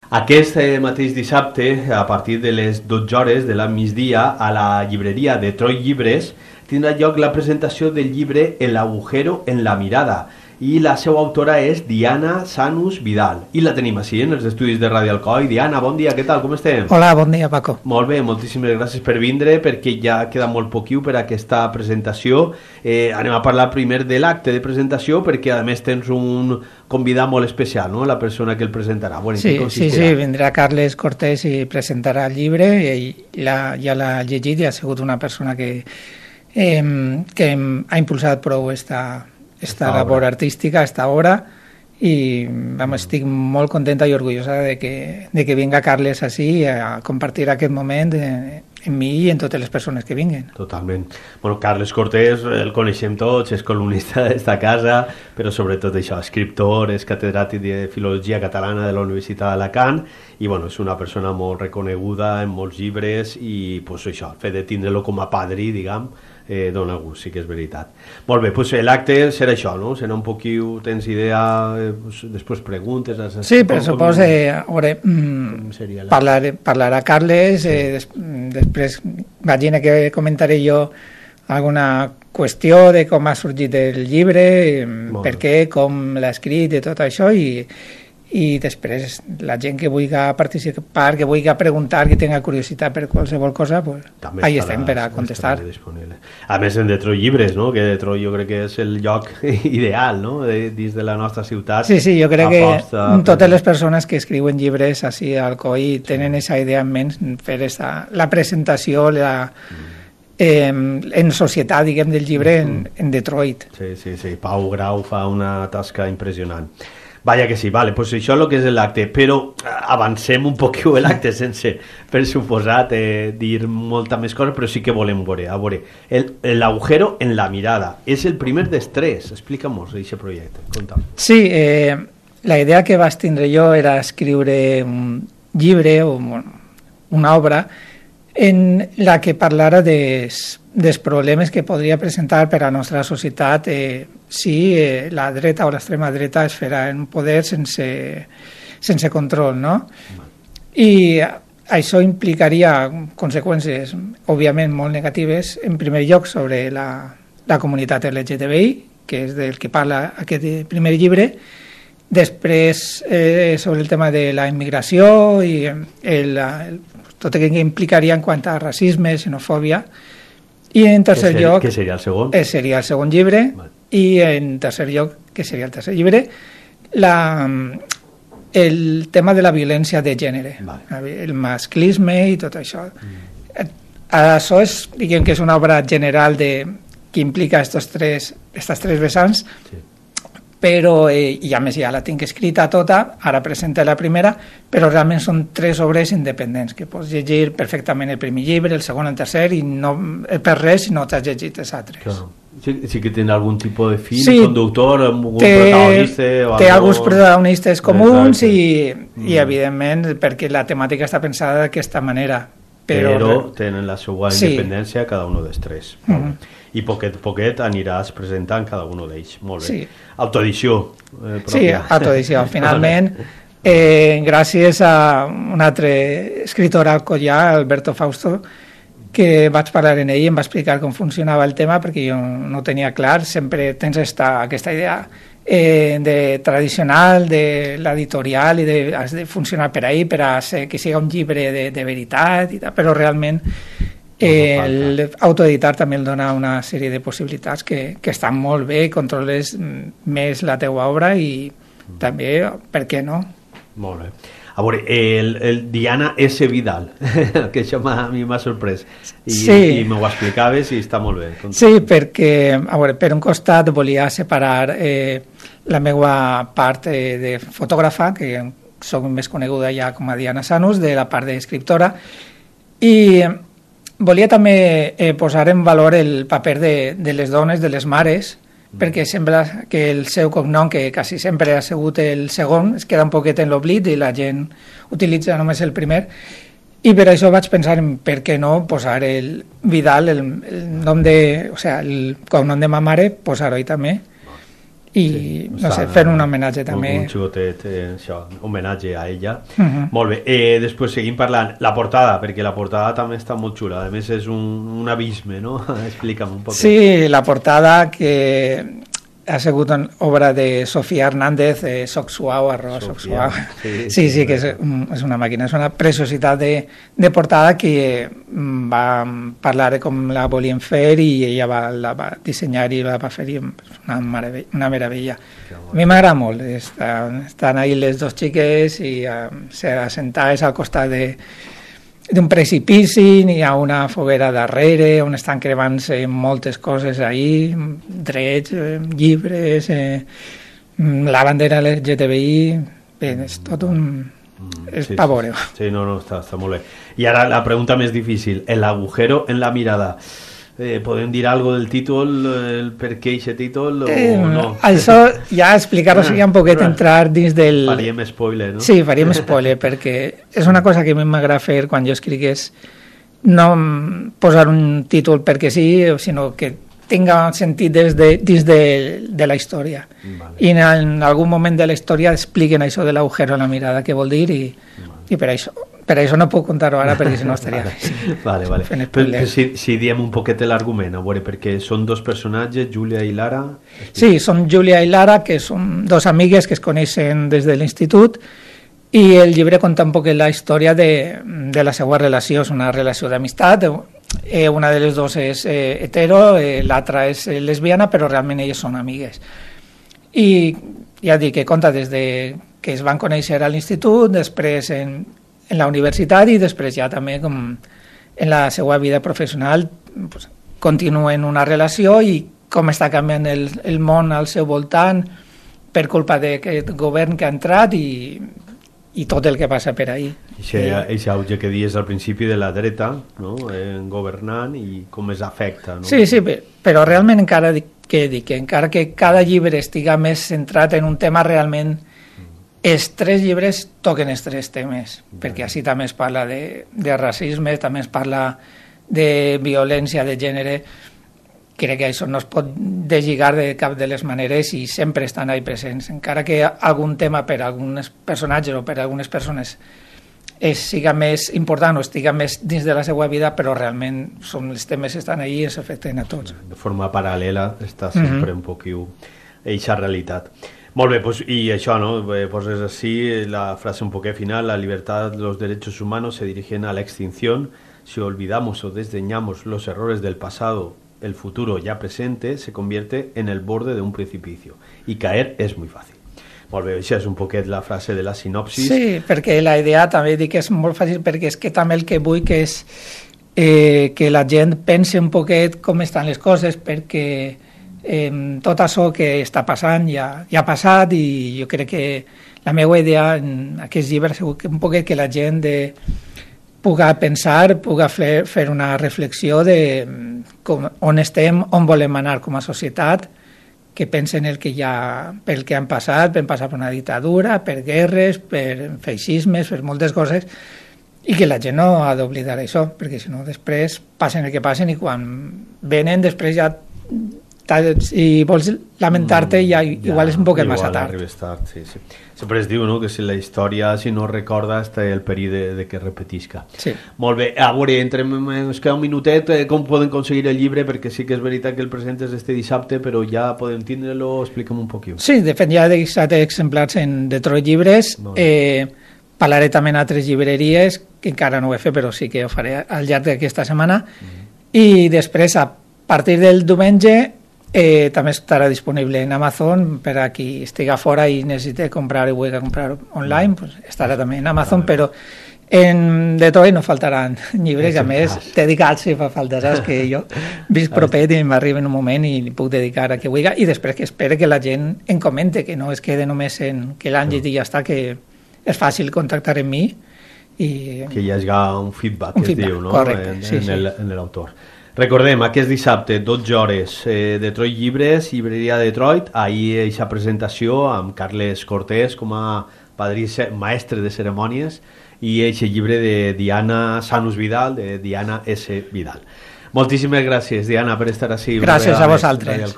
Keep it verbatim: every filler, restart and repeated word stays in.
Aquest eh, mateix dissabte, a partir de les dotze hores de la migdia, a la llibreria de Troi Llibres, tindrà lloc la presentació del llibre El agujero en la mirada, i la seva autora és Diana Sanus Vidal, i la tenim així en els estudis de Ràdio Alcoi. Diana, bon dia, què tal, com estem? Hola, bon dia, Paco. Molt bé, moltíssimes gràcies per vindre, perquè ja queda molt poquiu per a aquesta presentació. Eh, anem a parlar primer de l'acte de presentació, perquè a més tens un convidat molt especial, no?, la persona que el presentarà. Bueno, sí, sí, sí, vindrà Carles Cortés i presentarà el llibre, i la, ja l'ha llegit i ha sigut una persona que, eh, que ha impulsat prou esta... esta labor artística, esta obra, i vamos, estic molt contenta i orgullosa de que, de que vinga Carles així a compartir aquest moment en mi i en totes les persones que vinguen. Totalment. Bueno, Carles Cortés el coneixem tots, és columnista d'esta casa, però sobretot això, escriptor, és catedràtic de Filologia Catalana de la Universitat d'Alacant, i bueno, és una persona molt reconeguda en molts llibres, i pues, això, el fet de tindre-lo com a padrí, diguem, Eh, dona gust, sí que és veritat. Molt bé, doncs l'acte serà això, no? Serà un poquiu, tens idea, eh, pues, després preguntes... Has, sí, per suposo, eh, veure, mm, parlar, parlarà Carles, eh, des, després imagina que comentaré jo alguna qüestió de com ha sorgit el llibre, per què, com l'ha escrit i tot això, i i després la gent que vulgui participar, que vulgui preguntar, que tenga curiositat per qualsevol cosa, pues, ahí estem per a contestar. A més, en Detroit Llibres, no?, que Detroit jo crec que és el lloc ideal, no?, de, dins de la nostra ciutat. Sí, sí, jo crec que totes les persones que escriuen llibres així al Alcoi tenen aquesta idea en ment, fer esta, la presentació, la... Eh, en societat, diguem, del llibre en, en Detroit. Sí, sí, sí, Pau Grau fa una tasca impressionant. Vaja que sí, vale, pues això és el que és l'acte, però avancem un poquiu l'acte sense, per suposat, eh, dir molta més cosa, però sí que volem veure, a veure, el, el agujero en la mirada, és el primer dels tres, explica'm-nos aquest projecte, conta'm. Sí, eh, la idea que vas tindre jo era escriure un llibre o una obra en la que parlara des, dels problemes que podria presentar per a la nostra societat eh, si eh, la dreta o l'extrema dreta es farà en poder sense, sense control, no? I això implicaria conseqüències, òbviament, molt negatives, en primer lloc sobre la, la comunitat L G T B I, que és del que parla aquest primer llibre, després eh, sobre el tema de la immigració i el, el tot el que implicaria en quant a racisme, xenofòbia, i en tercer que ser, lloc... Que seria el segon? Eh, seria el segon llibre, vale. I en tercer lloc, que seria el tercer llibre, la, el tema de la violència de gènere, vale. El masclisme i tot això. Mm. Això és, diguem que és una obra general de, que implica estos tres, estas tres vessants, sí. Però, eh, i a més ja la tinc escrita tota, ara presenta la primera, però realment són tres obres independents, que pots llegir perfectament el primer llibre, el segon, el tercer, i no per res si no t'has llegit els altres. Claro. Sí, sí que tenen algun tipus de fil, sí, conductor, algun té, protagonista... O té algo... alguns protagonistes comuns i, mm. i, evidentment, perquè la temàtica està pensada d'aquesta manera. Però, però tenen la seva independència, sí. Cada un dels tres. Mm -hmm. I poquet a poquet aniràs presentant cada un d'ells. Molt bé. Sí. Autoedició. Eh, sí, autoedició. Finalment, eh, gràcies a un altre escritor alcoià, Alberto Fausto, que vaig parlar en ell i em va explicar com funcionava el tema, perquè jo no ho tenia clar. Sempre tens esta, aquesta idea eh, de tradicional de l'editorial i de, has de funcionar per ahí per a ser, que sigui un llibre de, de veritat i tal, però realment eh, l'autoeditar també el dona una sèrie de possibilitats que, que estan molt bé, controles més la teua obra i mm. també, per què no? Molt bé. A veure, el, el Diana S. Vidal, que això a mi m'ha sorprès, i, sí. i m'ho explicaves i està molt bé. Sí, perquè, a veure, per un costat volia separar eh, la meva part eh, de fotògrafa, que soc més coneguda ja com a Diana Sanus, de la part d'escriptora, i volia també eh, posar en valor el paper de, de les dones, de les mares, perquè sembla que el seu cognom, que quasi sempre ha sigut el segon, es queda un poquet en l'oblit i la gent utilitza només el primer, i per això vaig pensar en per què no posar el Vidal, el, el nom de, o sea, el cognom de ma mare, posar-ho també. i, sí, no sé, fer un homenatge també. Un, un xicotet, eh, això, homenatge a ella. Uh -huh. Molt bé, eh, després seguim parlant. La portada, perquè la portada també està molt xula, a més és un, un abisme, no? Explica'm un poc. Sí, la portada que ha sigut una obra de Sofía Hernández, eh, Soc suau, arroba Soc suau. Sí, sí, sí, que és, és una màquina, és una preciositat de, de portada que va parlar de com la volien fer i ella va, la va dissenyar i la va fer, i una meravella. Una meravella. A mi m'agrada molt, estan, estan ahí les dos xiques i uh, assentades al costat de d'un precipici, n'hi ha una foguera darrere on estan cremant-se moltes coses ahí, drets, eh, llibres, eh, la bandera L G T B I, bé, és tot un... és sí, pavoreo. Sí, sí, no, no, està, està molt bé. I ara la pregunta més difícil, el agujero en la mirada. Eh, podem dir algo del títol, el per què aquest títol o eh, no? Això ja explicar-ho seria un poquet entrar dins del... Faríem spoiler, no? Sí, faríem spoiler, perquè és una cosa que a mi m'agrada fer quan jo escrigués, no posar un títol perquè sí, sinó que tinga sentit des de, dins de, de la història. Vale. I en, en algun moment de la història expliquen això de l'agujero en la mirada, què vol dir, i, vale. i per això per això no puc contar-ho ara, perquè si no estaria... Vale, vale. Però, però si, si diem un poquet l'argument, a veure, perquè són dos personatges, Júlia i Lara... Sí, són Júlia i Lara, que són dos amigues que es coneixen des de l'institut, i el llibre conta un poquet la història de, de la seva relació. És una relació d'amistat, eh, una de les dues és eh, hetero, eh, l'altra és eh, lesbiana, però realment elles són amigues. I ja dic que conta des de que es van conèixer a l'institut, després en, en la universitat i després ja també com en la seva vida professional pues, continuen una relació i com està canviant el, el món al seu voltant per culpa d'aquest govern que ha entrat i, i tot el que passa per ahí. Aquest auge que dius al principi de la dreta, no? eh, governant i com es afecta. No? Sí, sí, però realment encara dic que, dic, que encara que cada llibre estiga més centrat en un tema realment els tres llibres toquen els tres temes, perquè així també es parla de, de racisme, també es parla de violència de gènere. Crec que això no es pot deslligar de cap de les maneres i sempre estan ahí presents, encara que algun tema per a alguns personatges o per a algunes persones és, siga més important o estiga més dins de la seva vida, però realment són, els temes estan ahí i es afecten a tots. De forma paral·lela està sempre mm-hmm. un poquiu eixa realitat. Molt bé, pues, y això, ¿no? Pues es así, la frase un poquet final, la libertad, los derechos humanos se dirigen a la extinción. Si olvidamos o desdeñamos los errores del pasado, el futuro ya presente se convierte en el borde de un precipicio. Y caer es muy fàcil. Molt bé, això és un poquet la frase de la sinopsis. Sí, perquè la idea també dic que és molt fàcil, perquè és que també el que vull que és eh, que la gent pense un poquet com estan les coses, perquè Eh, tot això que està passant ja, ja ha passat i jo crec que la meva idea en aquest llibre és un poquet que la gent de, pugui pensar, pugui fer, fer una reflexió de com, on estem, on volem anar com a societat, que pensen el que ja, pel que han passat, per passar per una dictadura, per guerres, per feixismes, per moltes coses, i que la gent no ha d'oblidar això, perquè si no després passen el que passen i quan venen després ja si vols lamentar-te ja, ja igual és un poquet massa tard. tard sí, sí. Sempre es diu, no?, que si la història si no recorda està el perill de, de que repetisca. Sí. Molt bé, a veure, entrem, ens queda un minutet, eh, com poden aconseguir el llibre, perquè sí que és veritat que el presentes este dissabte, però ja podem tindre-lo, explica'm un poquet. Sí, de fet ja he deixat exemplars en Detroit Llibres, eh, parlaré també en altres llibreries, que encara no ho he fet, però sí que ho faré al llarg d'aquesta setmana, mm-hmm. i després, a partir del diumenge, Eh, també estarà disponible en Amazon per a qui estigui fora i necessiti comprar i vulgui comprar online, pues estarà també en Amazon, però en Detroit no faltaran llibres, i a més dedicats si fa falta, saps que jo visc propet i m'arriba en un moment i li puc dedicar a que vulgui, i després que espere que la gent em comente, que no es quede només en que l'han llegit i ja està, que és fàcil contactar amb mi i... que hi hagi un feedback, un que feedback, es diu, no? Correcte, en, sí, en, sí. en l'autor. Recordem, aquest dissabte, dotze hores, eh, Detroit Llibres, llibreria Detroit, ahir aquesta presentació amb Carles Cortés com a padrí maestre de cerimònies i aquest llibre de Diana Sanus Vidal, de Diana S. Vidal. Moltíssimes gràcies, Diana, per estar així. Gràcies a vosaltres.